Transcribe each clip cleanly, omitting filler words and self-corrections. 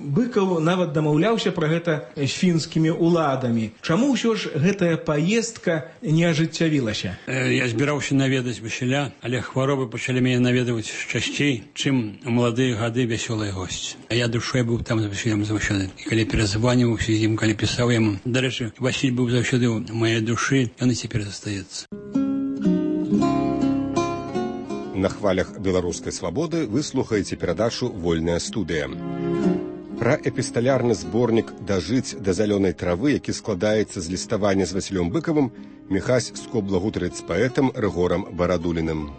Быкаў нават дамаўляўся пра гэта з фінскімі ўладамі. Чаму ўсё ж гэтая паездка не ажыццявілася? Я збіраўся наведаць Васіля, але хваробы пачалі мяне наведаваць часцей, чым у маладыя гады вясёлыя госці. А я душой быў там з Васілем заўсёды. І калі перазваніваўся з ім, калі пісаў яму. Дарэчы, Васіль быў заўсёды ў маёй душы, ён і цяпер застаецца. На хвалях беларускай свабоды вы слухаеце перадачу «Вольная студыя». Пра эпісталярны зборнік «Дажыць да зялёнай травы», які складаецца з ліставання з Васілём Быкавым, Міхась скобла гутарыць з паэтам Рыгорам Барадуліным.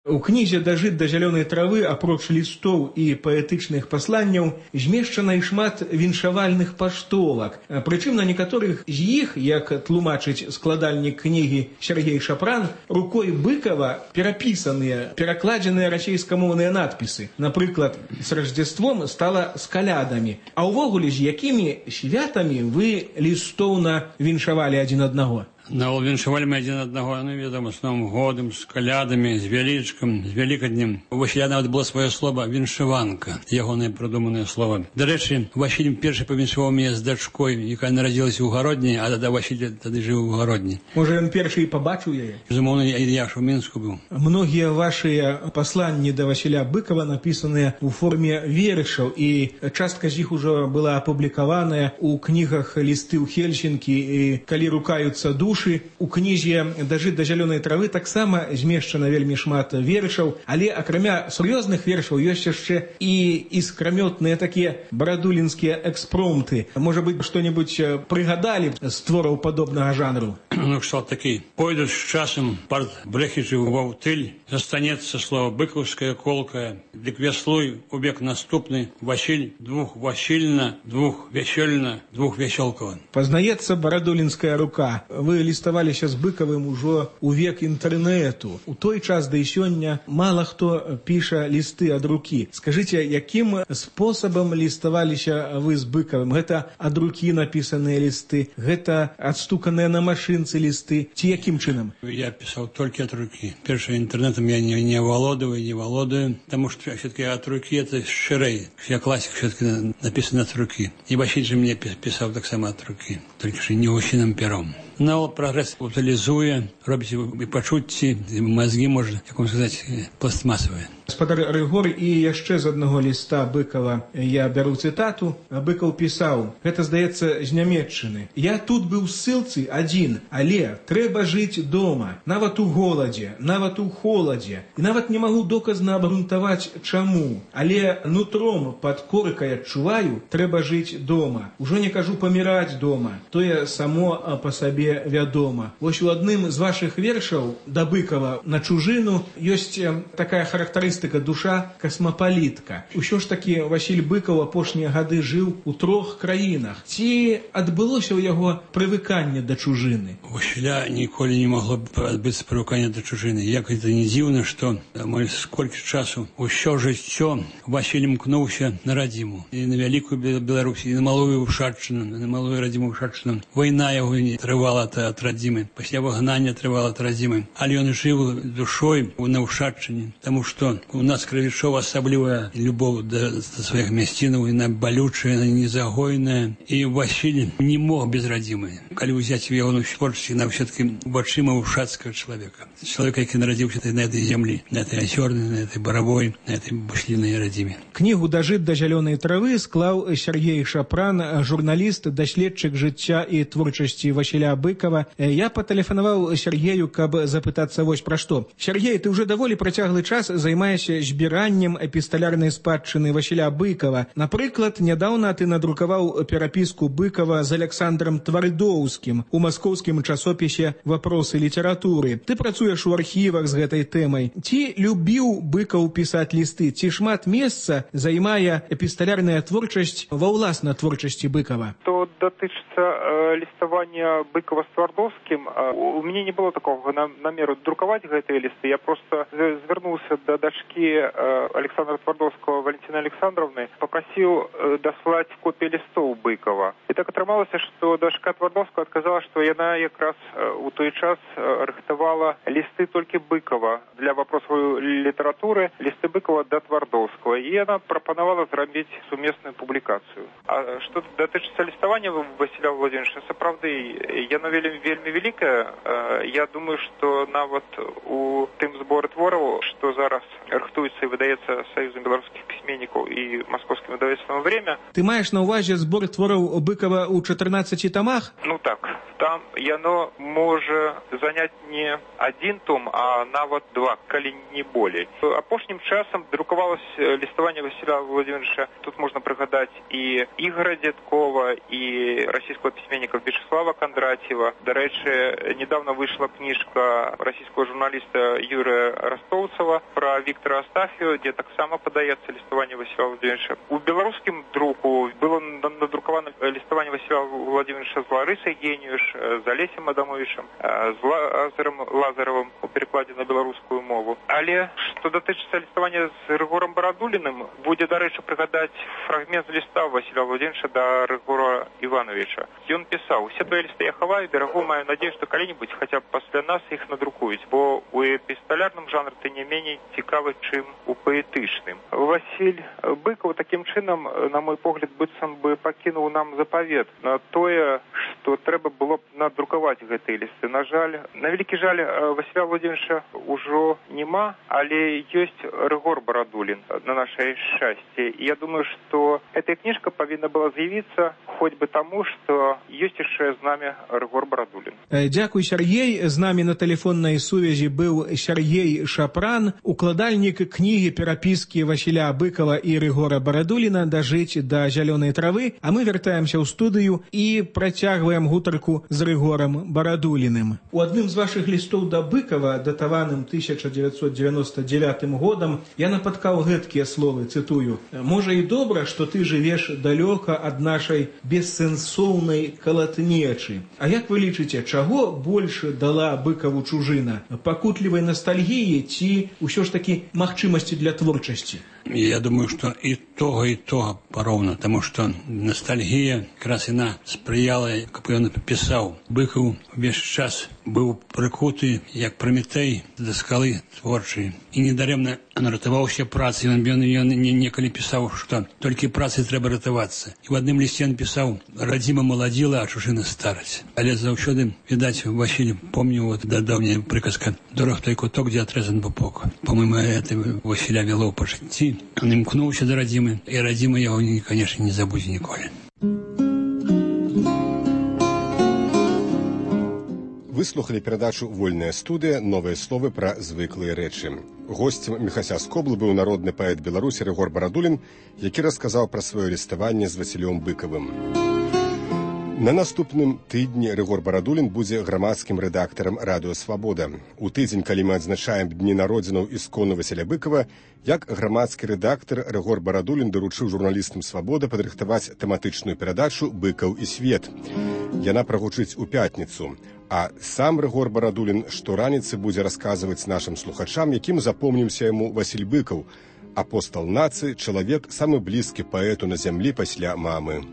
У кнізе «Дажыць да зялёнай травы» апроч лістоў і паэтычных пасланняў змешчана і шмат віншавальных паштовак. Прычым на некаторых з іх, як тлумачыць складальнік кнігі Сергей Шапран, рукой Быкава перапісаныя, перакладзеныя расейскамоўныя надпісы. Напрыклад, «С Рождеством» стала «С калядамі». А ўвогуле, з якімі святамі вы лістоўна віншавалі адзін аднаго? Віншавалі мы адзін аднаго, ведам, з Новым годам, з калядамі, з вялічкам, з вялікаднем. У Васіля нават было сваё слова «віншаванка», ягонае прыдуманае слова. Дарэчы, Васіль першы павіншаваў мяне з дачкой, якая нарадзілася ў Гародні, а Васіль тады жыў у Гародні. Можа, ён першы і пабачыў яе? Безумоўна, я ж у Мінску быў. Многія вашыя пасланні да Васіля Быкава напісаныя ў форме вершаў, і частка з іх ужо была апублікаваная ў кнігах «Лісты ў Хельсінкі» і «Калі рукаюцца душы». У кнізе «Дажыць да зялёнай травы» таксама змешчана вельмі шмат вершаў, але акрамя сур'ёзных вершаў ёсць яшчэ і іскрамётныя такія барадулінскія экспромты. Можа быць, што-небудзь прыгадалі з твораў падобнага жанру? Ну, кшталт такі. Пойдуць з часам парт брэхічы ў ваўтыль, застанецца слова быкаўская колкая, дык вяслуй у век наступны, Васіль двух Васільна, двух вясёльна, двух вясёлкава. Пазнаецца барадулінская рука. Вы ліставаліся з Быкавым ужо ў век інтэрнэту. У той час, да і сёння, мала хто піша лісты ад рукі. Скажыце, якім спосабам ліставаліся вы з Быкавым? Гэта ад рукі напісаныя лісты? Гэта адстуканыя на машынцы лісты? Ці якім чынам? Я пісаў толькі ад рукі. Першым інтэрнэтам я не валодаю, таму што все-таки ад рукі это шчырэй. Я класік все-таки напісаны ад рукі. І Васіль же мне пісаў таксама ад рукі, толькі што не гусіным пером. Но прогресс утилизуе, робіць і пачуцці, і мозги, можна, як вам сказаць, пластмасовые. Гаспадар Рыгор, і яшчэ з аднаго ліста Быкава я бяру цытату. Быкаў пісаў, гэта, здаецца, з Нямецчыны. «Я тут быў ссылцы адзін, але трэба жыць дома, нават у голадзе, нават у холадзе. І нават не магу доказна абгрунтаваць, чаму. Але нутром пад коркай адчуваю, трэба жыць дома. Ужо не кажу паміраць дома, тое само па сабе вядома». Вось у адным з вашых вершаў да Быкава на чужыну ёсць такая характарыстыка «душа касмапалітка». Усё ж такі Васіль Быкаў апошнія гады жыў у 3 краінах. Ці адбылося ў яго прывыканне да чужыны? У Васіля ніколі не магло адбыцца прывыканне да чужыны. Як гэта не дзіўна, што сколькі часу усё жыццё Васіль імкнуўся на радзіму. І на вялікую Беларусь, і на малую Ушаччыну, на малую радзіму Ушаччыну. Вайна яго не трывала ад радзімы, пасля выгнання трывала ад радзімы. Але ён жыў душой на Ушаччыне, таму што у нас крывічова асаблівая любоў да сваіх мясцінаў, яна балючая, яна незагойная. І Васіль не мог без радзімы. Калі ўзяць ягоную творчасць, яна ўсё-таки вачыма ушацкага чалавека. Чалавека, які нарадзіўся на этой зямлі, на этой азёрнай, на этой баравой, на этой буслінай радзіме. Кнігу «Дажыць да зялёнай травы» склаў Сергей Шапран, журналіст, даследчык жыцця і творчасці Васіля Быкава. Я патэлефанаваў Сергею, каб запытацца вось пра што. Сергей, ты ўжо даволі працяглы час займаешся збіраннем эпісталярнай спадчыны Васіля Быкава. Напрыклад, нядаўна ты надрукаваў перапіску Быкава з Александром Твардоўскім у маскоўскім часопісе «Вопросы літаратуры». Ты працуеш у архівах з гэтай тэмай. Ці любіў Быкаў пісаць лісты? Ці шмат месца займае эпісталярная творчасць ва ўласна творчасці Быкава? Што датычыцца ліставання Быкава Быкова з Твардовскім. У мяне не было такого намеру друкаваць гэтыя лісты. Я просто звярнуўся да дачкі Александра Твардовского Валентины Александровны, попросил даслаць копии листов Быкова. И так атрымалася, что дачка Твардовского отказала, что яна якраз у той час рыхтавала листы только Быкова для вопросов литературы, листы Быкова до Твардовского. И она пропоновала зрабіць сумесную публикацию. А что датычыцца ліставання Василя Владимировича, сапраўды, яно вельмі великое. Я думаю, что нават у тым зборы твораў, что зараз рыхтуецца и выдаецца Союзом белорусских письменников и Московским издательством «Время». Ты маешь на увазе збор твораў Быкова у 14 томах? Ну так. Там яно може занять не один том, а нават два, калі не болей. Апошнім часам друкавалось ліставанне Василя Владимировича. Тут можно пригадать и Игоря Дедкова, и российского письменника Вячеслава Кондратьева. До речи, недавно вышла книжка российского журналиста Юрия Ростовцева про Виктора Астафьева, где так само подается ліставанне Василя Владимировича. У белорусском друку было надруковано ліставанне Василя Владимировича с Ларисой Гениуш, з Олесем Адамовичем, з Лазарем Лазаровым у перекладе на белорусскую мову. Але что датычыцца ліставання з Рыгором Барадуліным, будзе, до речі, пригадать фрагмент з ліста Василя Владимировича до Рыгора Ивановича. И он писал: «Все твои листы я хаваю, берегу, маю надеюсь, что когда-нибудь хотя бы после нас их надрукують, бо у эпісталярным жанры ты не менее цікавы, чым у паэтычным». Василь Быков таким чином, на мой погляд, быццам бы пакінуў нам запавет на тое, што трэба было б надрукаваць гэтыя лісты. На жаль, на вялікі жаль, Василя Владимировича ўжо нема, але ёсць Рыгор Барадулін, на наше шчасце. И я думаю, что эта книжка повинна была з'явіцца хоть бы тому, что ёсць яшчэ з нами Рыгор Барадулін. Дзякуй, Сергей. З нами на телефонной сувязі быў Сергей Шапран, укладальнік кнігі перапіскі Василя Быкова і Рыгора Барадуліна «Дажыць да зялёнай травы». А мы вяртаемся ў студыю і працягваем гутарку з Рыгорам Барадуліным. У адным з вашых лістоў да Быкова, датаваным 1999 годам, я напаткаў гэткія словы, цытую: «Можа і добра, што ты жывеш далёка ад нашай бессэнсоўнай калатнечы». А як вы лічыце, чаго больш дала Быкаву чужына? Пакутлівай ностальгіі ці ўсё ж такі магчымасці для творчасці? Я думаю, что и того поровну, потому что ностальгия как раз она сприяла, как он писал. Быков весь час был прикутый, як Прометей, до скалы творчей. И недаремно он ратаваўся працей. Он некалі писал, что только працей трэба ратавацца. И в одном листе он писал: «Радзіма маладзіла, а чужына стараць». Але заўсёды, видать, Василий помнил вот давняя приказка: «Дорог той куток, где отрезан пупок». По-моему, это Василя вело по житті. Он імкнуўся до Радзімы, и Радзіма его, конечно, не забудзе ніколі. Выслухали перадачу «Вольная студыя. Новыя словы пра звыклыя рэчы». Госцем Міхася Скоблы быў народны паэт Беларусі Рыгор Барадулін, які расказаў пра сваё ліставанне з Васілём Быкавым. На наступным тыдні Рыгор Барадулін будзе грамадскім рэдактарам «Радыё Свабода». У тыдзень, калі мы адзначаем дні народзінаў іскону Васіля Быкава, як грамадскі рэдактар Рыгор Барадулін даручыў журналістам «Свабода» падрыхтаваць тэматычную перадачу «Быкаў і свет». Яна прагучыць у пятніцу. А сам Рыгор Барадулін штораніцы будзе расказваць нашым слухачам, якім запомніўся яму Васіль Быкаў, апостал нацыі, чалавек самы блізкі паэту на зямлі пасля мамы.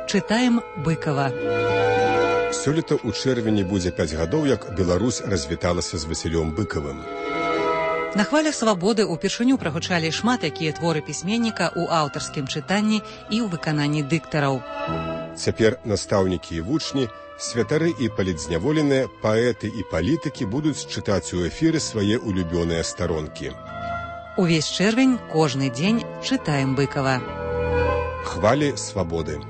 Чытаем Быкова. Сёлета ў чэрвені будзе 5 гадоў, як Беларусь развіталася з Васілём Быкавым. На хвалях свабоды ўпершыню прагучалі шмат якія творы пісьменніка ў аўтарскім чытанні і ў выкананні дыктараў. Цяпер настаўнікі і вучні, святары і палітзняволеныя, паэты і палітыкі будуць чытаць у эфіры свае улюбёныя старонкі. Увесь чэрвень кожны дзень чытаем Быкова. Хвалі свабоды.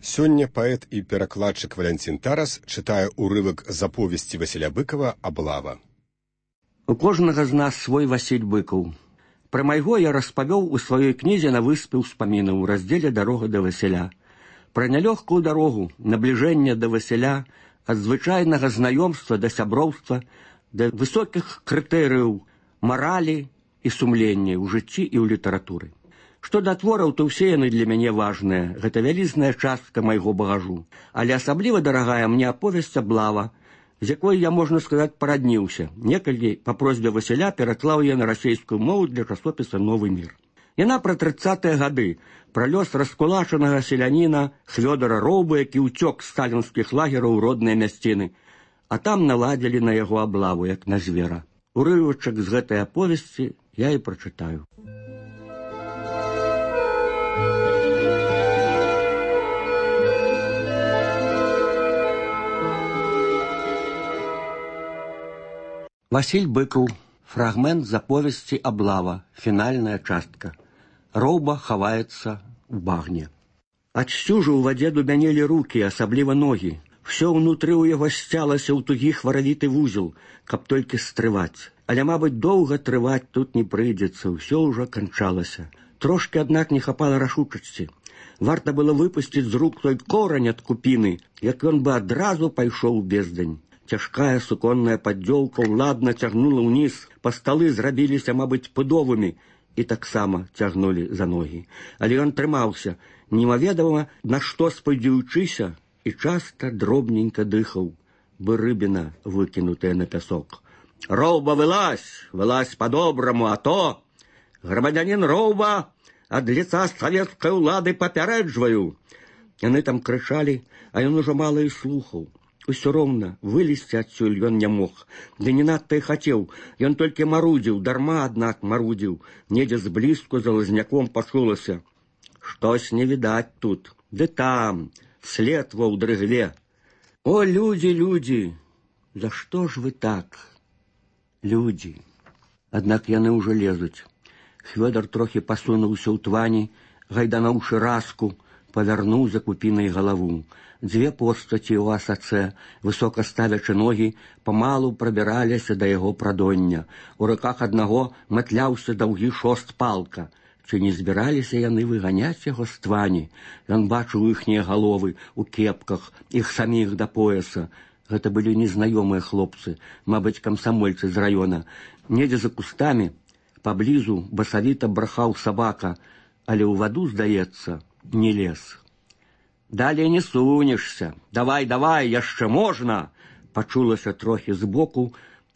Сёння паэт і перакладчык Валянцін Тарас чытае ўрывак з аповесці Васіля Быкава «Аблава». У кожнага з нас свой Васіль Быкаў. Пра майго я распавёў у сваёй кнізе «На выспе ўспамінаў» у раздзеле «Дарога да Васіля». Пра нялёгкую дарогу, набліжэння да Васіля, ад звычайнага знаёмства да сяброўства, да высокіх крытэрыяў маралі і сумлення ў жыцці і ў літаратуры. Што да твораў, то ўсе яны для мяне важныя, гэта вялізная частка майго багажу. Але асабліва дарагая мне аповесць «Аблава», з якой я, можна сказаць, парадніўся. Некалькі па просьбе Васіля пераклаў я на расейскую мову для часопіса «Новы мір». Яна пра 30-е гады, пра лёс раскулачанага селяніна Хвёдара Роўба, які ўцёк з сталінскіх лагераў у родныя мясціны, а там наладзілі на яго аблаву, як на звера. Урывачак з гэтай аповесці я і прачытаю. Васіль Быкаў. Фрагмент з аповесці «Аблава», фінальная частка. Роўба хаваецца ў багне. Ад сцюжу ў вадзе дубянелі рукі, асабліва ногі. Всё ўнутры ў яго сцялася ў тугі хваравіты вузел, каб толькі стрываць. Але, мабыць, доўга трываць тут не прыйдзецца, ўсё ўжо канчалася. Трошкі, аднак, не хапала рашучасці. Варта было выпусціць з рук той корань ад купіны, як ён бы адразу пайшоў у бездань. Цяжкая суконная паддзёлка ўладна цягнула ўніз, па сталы зрабіліся, мабыць, пудовымі, і таксама цягнулі за ногі. Але ён трымаўся, немаведама на што спадзеючыся, і часта дробненька дыхаў, бы рыбіна, выкінутая на пясок. «Роўба, вылазь! Вылазь по-добраму, а то! Грамадзянін Роўба, ад лица савецкай улады папярэджваю!» Яны там крычалі, а ён ужо мала і слухаў. Усё роўна, вылезці адсюль ён не мог. Ды не надта і хацеў. Ён толькі марудзіў, дарма, аднак, марудзіў. Недзе зблізку за лазняком пачулася. Штось не відаць тут. Ды там, след ва ўдрыгле. О, людзі, людзі! За што ж вы так? Людзі. Аднак яны ўжо лезуць. Хвёдар трохі пасунуўся ў твані, гайдануўшы раску, павярнуў за купінай галаву. Дзве постаці ў асацэ, высока ставячы ногі, памалу прабіраліся да яго прадоння. У руках аднаго матляўся даўгі шост палка. Ці не збіраліся яны выганяць яго з твані? Ён бачыў іхнія галовы ў кепках, іх саміх да пояса. Гэта былі незнаёмыя хлопцы, мабыць, камсамольцы з раёна. Недзе за кустамі, паблізу басавіта брахаў сабака, але ў ваду, здаецца, не лез. «Далей не сунешся! Давай, давай, яшчэ можна!» Пачулася трохі збоку,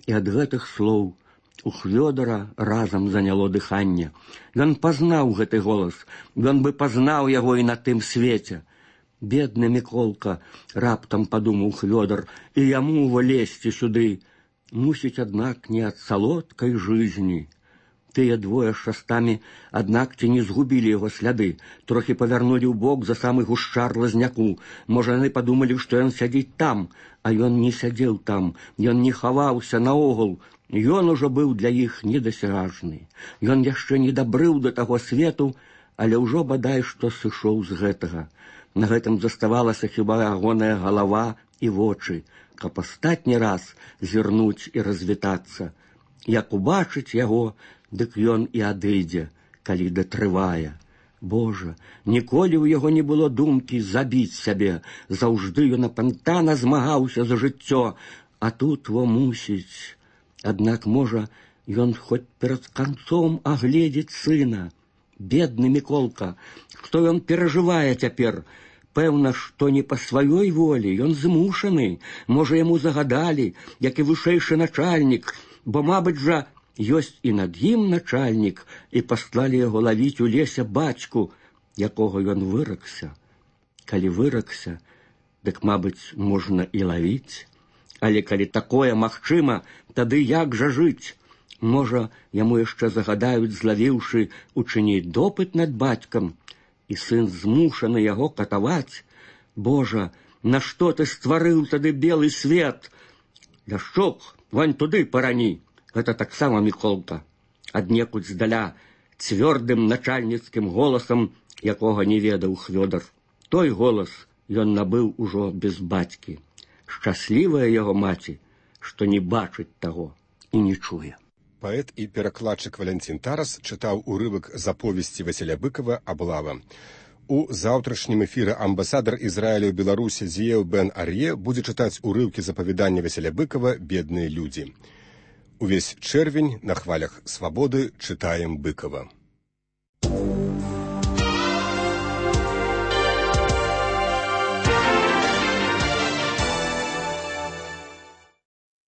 і ад гэтых слоў у Хвёдара разам заняло дыханне. Ён пазнаў гэты голас, ён бы пазнаў яго і на тым свеце. «Бедны Міколка!» — раптам падумаў Хвёдар, «і яму влезці сюды. Мусіць, аднак, не ад салодкай жизни». Тыя двое з шастамі, аднак, ці не згубілі яго сляды, трохі павярнулі ў бок за самы гушчар лазняку. Можа, яны падумалі, што ён сядзіць там, а ён не сядзеў там, ён не хаваўся наогул. Ён ужо быў для іх недасяжны. Ён яшчэ не дабрыў да таго свету, але ўжо бадай што сышоў з гэтага. На гэтым заставалася хіба ягоная галава і вочы, каб астатні раз зірнуць і развітацца. Як убачыць яго, дык ён і адыдзе, калі датрывае. Божа, ніколі ў яго не было думкі забіць сябе. Заўжды ён апантана змагаўся за жыццё, а тут во мусіць. Аднак, можа, ён хоць перад канцом агледзець сына. Бедны Міколка, што ён перажывае цяпер? Пэўна, што не па сваёй волі, ён змушаны. Можа, яму загадалі, як і вышэйшы начальнік, бо, мабыць жа, ёсць і над ім начальнік, і паслалі яго лавіць у лесе бацьку, якога ён выракся. Калі выракся, дык, мабыць, можна і лавіць. Але калі такое магчыма, тады як жа жыць? Можа, яму яшчэ загадаюць, злавіўшы, учыніць допыт над бацькам, і сын змушаны яго катаваць. Божа, нашто ты стварыў тады белы свет? Ляшчук, вань туды парані. Гэта таксама Міколка. Аднекуль здаля, цвёрдым начальніцкім голасам, якога не ведаў Хвёдар. Той голас ён набыў ужо без бацькі. Шчаслівая яго маці, што не бачыць таго і не чуе. Паэт і перакладчык Валянцін Тарас чытаў урывак з аповесці Васіля Быкава «Аблава». У заўтрашнім эфіры амбасадар Ізраіля ў Беларусі Зіеў Бен Ар'е будзе чытаць урыўкі з апавядання Васіля Быкава «Бедныя людзі». Увесь чэрвень на хвалях свабоды чытаем Быкава.